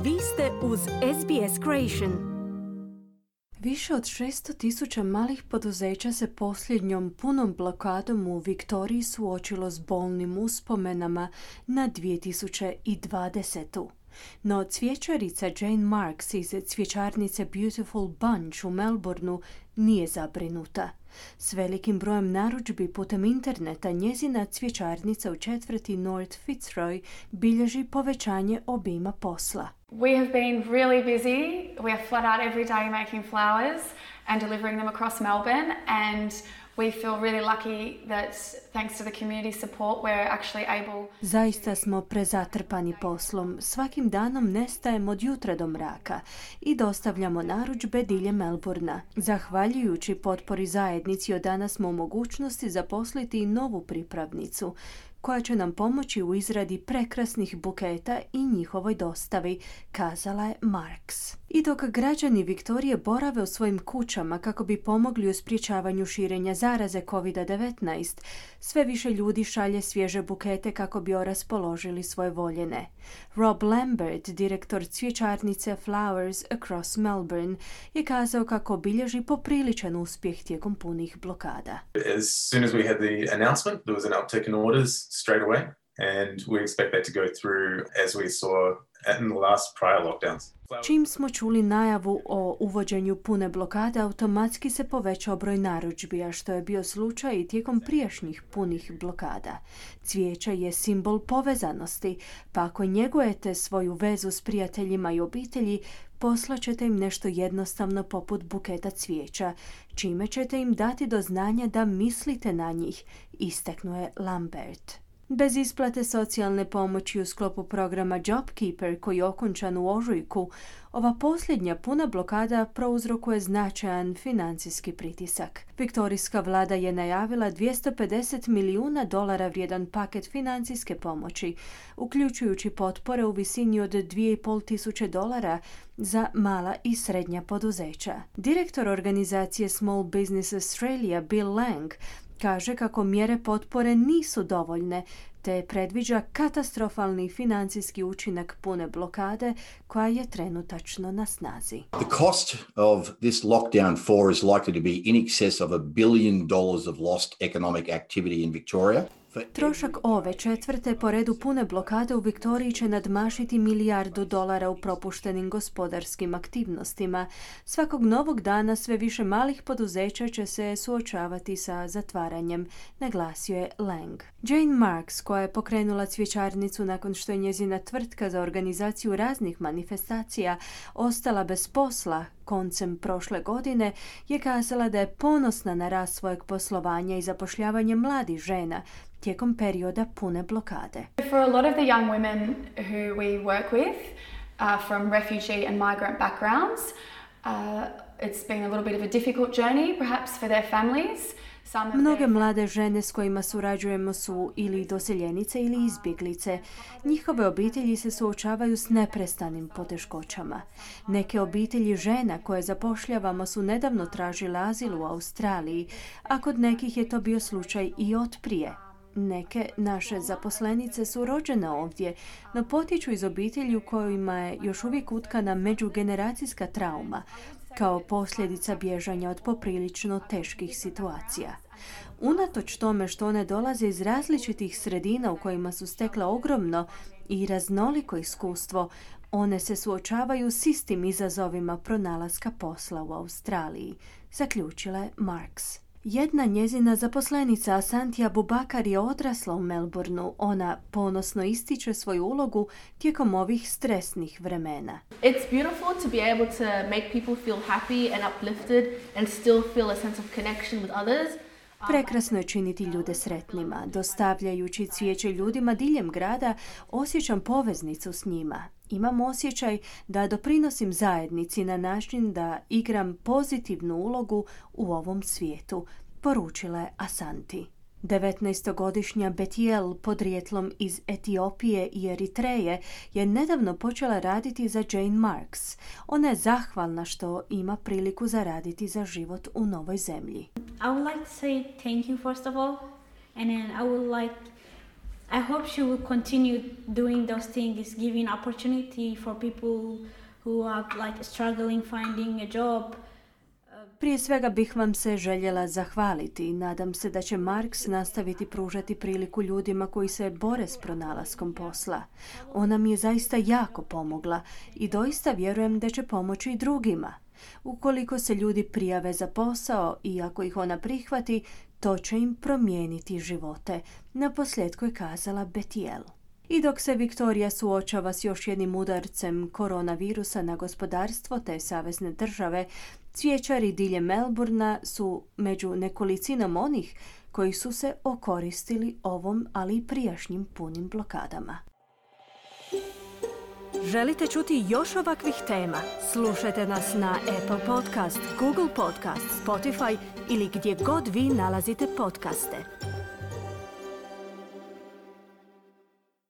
Vi ste uz SBS Creation. Više od 600,000 malih poduzeća se posljednjom punom blokadom u Viktoriji suočilo s bolnim uspomenama na 2020. No cvjećarica Jane Marks iz cvjećarnice Beautiful Bunch u Melbourneu nije zabrinuta. S velikim brojem narudžbi putem interneta njezina cvjećarnica u četvrti North Fitzroy bilježi povećanje obima posla. We have been really busy. We are flat out every day making flowers and delivering them across Melbourne, and we feel really lucky that thanks to the community support we're actually able. Zaista smo prezatrpani poslom. Svakim danom nestajemo od jutra do mraka i dostavljamo narudžbe diljem Melbournea. Zahvaljujući potpori zajednici od danas smo u mogućnosti zaposliti i novu pripravnicu koja će nam pomoći u izradi prekrasnih buketa i njihovoj dostavi, kazala je Marks. I dok građani Viktorije borave u svojim kućama kako bi pomogli u sprječavanju širenja zaraze COVID-19, sve više ljudi šalje svježe bukete kako bi raspoložili svoje voljene. Rob Lambert, direktor cvjećarnice Flowers Across Melbourne, je kazao kako bilježi popriličan uspjeh tijekom punih blokada. As soon as we had the announcement, there was an uptick in orders straight away, and we expect that to go through as we saw in the last prior lockdowns. Čim smo čuli najavu o uvođenju pune blokade, automatski se povećao broj narudžbi, a što je bio slučaj i tijekom prijašnjih punih blokada. Cvijeće je simbol povezanosti, pa ako njegujete svoju vezu s prijateljima i obitelji, poslaćete im nešto jednostavno poput buketa cvijeća, čime ćete im dati do znanja da mislite na njih, istaknuo je Lambert. Bez isplate socijalne pomoći u sklopu programa JobKeeper koji je okončan u ožujku, ova posljednja puna blokada prouzrokuje značajan financijski pritisak. Viktorijska vlada je najavila $250 milijuna vrijedan paket financijske pomoći, uključujući potpore u visini od $2,500 za mala i srednja poduzeća. Direktor organizacije Small Business Australia Bill Lang kaže kako mjere potpore nisu dovoljne, te predviđa katastrofalni financijski učinak pune blokade koja je trenutačno na snazi. The cost of this lockdown 4 is likely to be in excess of $1 billion of lost economic activity in Victoria. Trošak ove četvrte po redu pune blokade u Viktoriji će nadmašiti $1 milijardu u propuštenim gospodarskim aktivnostima. Svakog novog dana sve više malih poduzeća će se suočavati sa zatvaranjem, naglasio je Lang. Jane Marks, koja je pokrenula cvjećarnicu nakon što je njezina tvrtka za organizaciju raznih manifestacija ostala bez posla koncem prošle godine, je kazala da je ponosna na rast svojeg poslovanja i zapošljavanje mladih žena tijekom perioda pune blokade. For a lot of the young women who we work with from refugee and migrant backgrounds, it's been a little bit of a difficult journey perhaps for their families. Mnoge mlade žene s kojima surađujemo su ili doseljenice ili izbjeglice. Njihove obitelji se suočavaju s neprestanim poteškoćama. Neke obitelji žena koje zapošljavamo su nedavno tražile azil u Australiji, a kod nekih je to bio slučaj i od prije. Neke naše zaposlenice su rođene ovdje, no potječu iz obitelji u kojima je još uvijek utkana međugeneracijska trauma, kao posljedica bježanja od poprilično teških situacija. Unatoč tome što one dolaze iz različitih sredina u kojima su stekle ogromno i raznoliko iskustvo, one se suočavaju s istim izazovima pronalaska posla u Australiji, zaključila je Marks. Jedna njezina zaposlenica Asantija Bubakar je odrasla u Melbourneu. Ona ponosno ističe svoju ulogu tijekom ovih stresnih vremena. It's beautiful to be able to make people feel happy and uplifted and still feel a sense of connection with others. Prekrasno je činiti ljude sretnima. Dostavljajući cvijeće ljudima diljem grada, osjećam poveznicu s njima. Imam osjećaj da doprinosim zajednici na način da igram pozitivnu ulogu u ovom svijetu, poručila je Asanti. 19-godišnja Betiel, podrijetlom iz Etiopije i Eritreje, je nedavno počela raditi za Jane Marks. Ona je zahvalna što ima priliku zaraditi za život u novoj zemlji. I would like to say thank you first of all, and then I would like I hope she will continue doing those things, giving opportunity for people who are like struggling finding a job. Prije svega bih vam se željela zahvaliti i nadam se da će Marks nastaviti pružati priliku ljudima koji se bore s pronalaskom posla. Ona mi je zaista jako pomogla i doista vjerujem da će pomoći i drugima. Ukoliko se ljudi prijave za posao i ako ih ona prihvati, to će im promijeniti živote, naposljetku je kazala Betiel. I dok se Viktorija suočava s još jednim udarcem koronavirusa na gospodarstvo te savezne države, cvijećari diljem Melbourna su među nekolicinom onih koji su se okoristili ovom, ali i prijašnjim punim blokadama. Želite čuti još ovakvih tema? Slušajte nas na Apple Podcast, Google Podcast, Spotify ili gdje god vi nalazite podcaste.